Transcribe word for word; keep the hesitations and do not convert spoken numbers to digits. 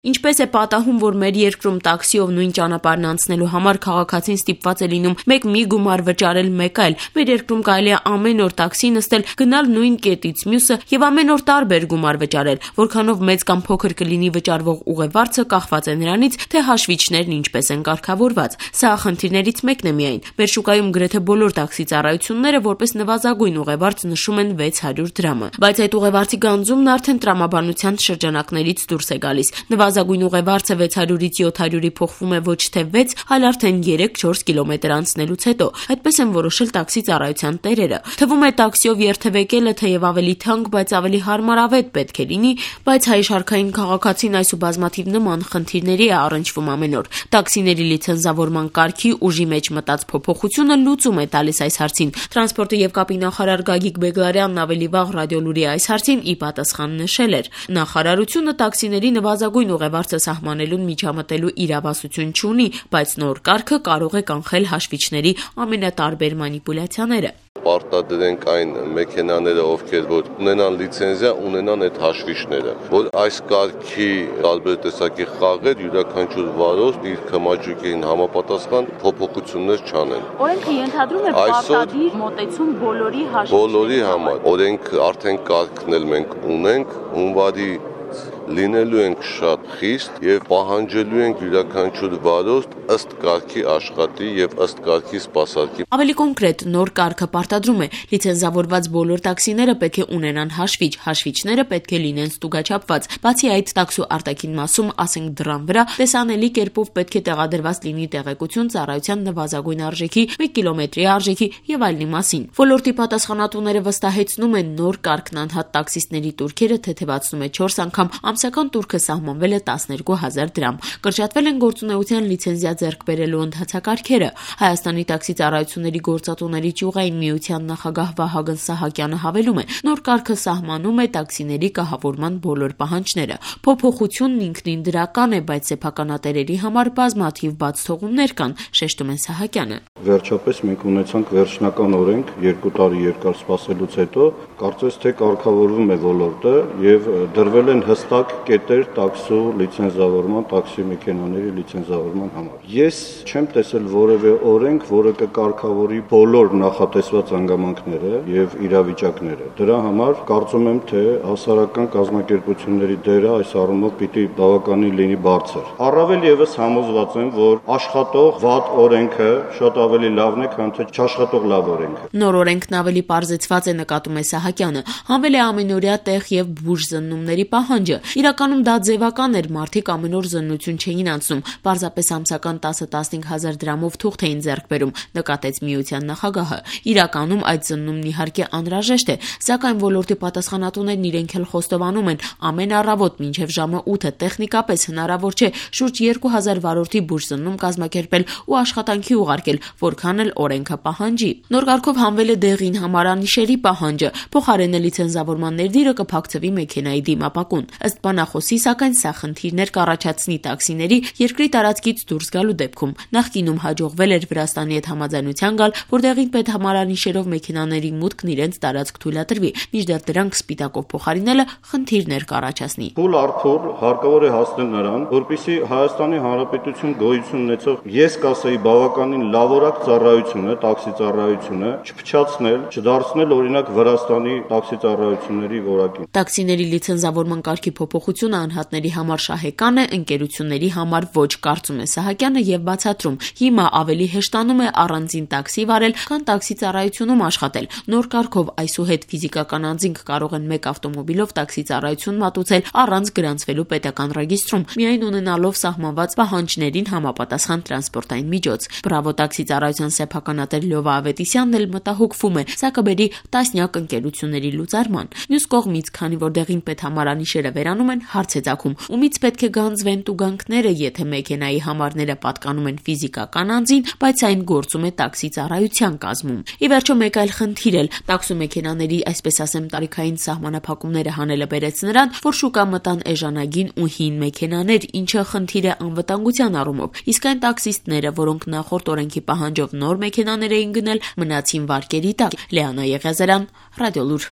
Ինչպես է պատահում, որ մեր երկրում տաքսիով նույն ճանապարհն անցնելու համար քաղաքացին ստիպված է լինում մեկ մի գումար վճարել, մեկ այլ։ Մեր երկրում կարելի է ամեն օր տաքսի նստել, գնալ նույն կետից մյուսը եւ ամեն օր տարբեր գումար վճարել, որքանով մեծ կամ փոքր կլինի վճարվող ուղևորը կախված է նրանից, թե հաշվիչներն ինչպես են կարգավորված։ Սա խնդիրներից մեկն է միայն։ Մեր շուկայում գրեթե բոլոր տաքսի ծառայությունները որպես նվազագույն ուղևորց նշում են վեց հարյուր դրամը, բայց այդ ուղևորցի գանձումն արդեն տրամաբանության շրջանակներից դուրս է գալիս։ Նվազագույն ուղևորցը վեց հարյուրից յոթ հարյուրի փոխվում է ոչ թե վեց, այլ արդեն երեք չորս կիլոմետր անցնելուց հետո։ Այդպես են որոշել տաքսի ծառայության տերերը։ Թվում է տաքսիով երթևեկելը թեև ավելի թանկ, բայց ավելի հարմարավետ պետք է լինի, բայց հայ շարքային քաղաքացին այս ու բազմաթիվ նման խնդիրների է առնչվում ամեն օր։ Տաքսիների լիցենզավորման կարգի ուժի մեջ մտած փոփոխությունը լուծում է տալիս այս հարցին։ Տրանսպորտի եւ կապի նախարար Գագիկ Բեգլարյանն ավելի վաղ ռադիոլուրի այս հարցին ի պատասխան նշել էր. նախարարությունը տաքսիների նվազագույն ուղևորցը սահմանելուն միջամտելու իրավասություն չունի, բայց նոր կարգը կարող է կանխել հաշվիչների ամենատարբեր մանիպուլյացիաները։ Պարտադրենք այն մեքենաները, ովքեր որ ունենան լիցենզիա, ունենան այդ հաշվիչները, որ այս կարգի տարբեր տեսակի խաղեր յուրաքանչյուր վարորդ իր քմաճուկին համապատասխան փոփոխություններ չանեն։ Օրենքը ենթադրում է պարտադիր մոտեցում բոլորի հաշվիչների բոլորի համար։ Օրենք արդեն կարգն էլ մենք ունենք, հունվարի լինելու ենք շատ խիստ եւ պահանջելու ենք յուրաքանչյուր վարորդ ըստ կարգի աշխատի եւ ըստ կարգի սպասարկի։ Ավելի կոնկրետ, նոր կարգը պարտադրում է լիցենզավորված բոլոր տաքսիները պետք է ունենան հաշվիչ, հաշվիչները պետք է լինեն ստուգաչափված։ Բացի այդ, տաքսու արտաքին մասում, ասենք դռան վրա, տեսանելի կերպով պետք է տեղադրված լինի տեղեկություն ծառայության նվազագույն արժեքի, մեկ կիլոմետրի արժեքի եւ այլնի մասին։ Ոլորտի պատասխանատուները վստահեցնում են, նոր կարգն անհատ տաքսիստների տուրքերը թեթևացնում է չորս անգամ, ամսական տուրքը սահմանվել է տասներկու հազար դրամ։ Կրճատվել են գործունեության լիցենզիա ձեռք բերելու ընթացակարգերը։ Հայաստանի տաքսի ծառայությունների գործատուների ճյուղային միության նախագահ Վահագն Սահակյանը հավելում է, նոր կարգը սահմանում է տաքսիների կահավորման բոլոր պահանջները։ Փոփոխությունն ինքնին դրական է, բայց սեփականատերերի համար բազմաթիվ բաց թողումներ կան, շեշտում է Սահակյանը։ Վերջապես մենք ունեցանք վերջնական օրենք երկու տարի երկար սպասելուց հետո, կարծես թե կարգավորվում է ոլորտը եւ դրվել են հստակ կետեր տաքսու լիցենզավորման, տաքսի մեքենաների լիցենզավորման համար։ Ես չեմ տեսել որևէ օրենք, որը կկարգավորի բոլոր նախատեսված հանգամանքները եւ իրավիճակները։ Դրա համար կարծում եմ, թե հասարակական կազմակերպությունների դերը այս առումով պիտի բավականին լինի բարձր։ Առավել եւս համոզված եմ, որ աշխատող վատ օրենքը շատ ավելի լավն է, քան թե չաշխատող լավ օրենքը։ Նոր օրենքն ավելի պարզեցված է, նկատում է Սահակյանը։ Հանվել է ամենօրյա տեղ եւ բուժ զննումների պահանջը։ Իրականում դա ձևական էր, մարդիկ ամեն օր զննություն չէին անցնում, պարզապես ամսական տասը տասնհինգ հազար դրամով թուղթ էին ձեռք բերում, նկատեց միության նախագահը։ Իրականում այդ զննումն իհարկե անհրաժեշտ է, սակայն ոլորտի պատասխանատուներն իրենք էլ խոստովանում են, ամեն առավոտ մինչև ժամը ութը տեխնիկապես հնարավոր չէ շուրջ երկու հազար վարորդի բուժզննում կազմակերպել ու աշխատանքի ուղարկել, որքան էլ օրենքը պահանջի։ Նոր կարգով հանվել է դեղին համարանիշերի պահանջը, փոխարենը լիցենզավորման ներդիրը կփակցվի մեքենայի դիմապակուն։ Ըստ բանախոսի, սակայն սա խնդիրներ կառաջացնի տաքսիների երկրի տարածքից դուրս գալու դեպքում։ Նախկինում հաջողվել էր Վրաստանի հետ համաձայնության գալ, որ դեղին պետհամարանիշերով մեքենաների մուտքն իրենց տարածք թույլատրվի, մինչդեռ դրանք սպիտակով փոխարինելը խնդիրներ կառաջացնի։ Փուլ առ փուլ հարկավոր է հասնել նրան, որպեսզի Հայաստանի Հանրապետություն գոյություն ունեցող, ես կասեի, բավականին լավորակ ծառայությունը, տաքսի ծառայությունը չփչացնել, չդարձնել օրինակ Վրաստանի տաքսի ծառայությունների որակին։ Տաքսիների լիցենզավորման կարգի փոփոխությունը անհատների համար շահեկան է, ընկերությունների համար ոչ, կարծում է Սահակյանը եւ բացատրում. հիմա ավելի հեշտանում է առանձին տաքսի վարել, քան տաքսի ծառայությունում աշխատել։ Նոր կարգով այսուհետ ֆիզիկական անձինք կարող են մեկ ավտոմոբիլով տաքսի ծառայություն մատուցել առանց գրանցվելու պետական ռեգիստրում, միայն ունենալով սահմանված պահանջներին համապատասխան տրանսպորտային միջոց։ Բրավո տաքսի ծառայության սեփականատեր Լյովա Ավետիսյանն էլ մտահոգվում է, սա կբերի տասնյակ ընկերությունների լուծարման։ Մյուս կողմից, քանի որ դեղին պետհամարանիշերը վերանում են, հարց է ծագում, ումից պետք է գանձվեն տուգանքները, եթե մեքենայի համարները պատկանում են ֆիզիկական անձին, բայց այն գործում է տաքսի ծառայության կազմում։ Ի վերջո մեկ այլ խնդիր էլ տաքսու մեքենաների, այսպես ասեմ, տարիքային սահմանափակումները հանելը բերեց նրան, որ շուկա մտան էժանագին ու հին մեքենաներ, ինչը խնդիր է անվտանգության առումով։ Իսկ այն տաքսիստները, որոնք նախորդ օրենքի պահանջով նոր մեքենաներ էին գնել, մնացին վարկերի տակ։ Լեանա Եղիազարյան, Ռադիոլուր։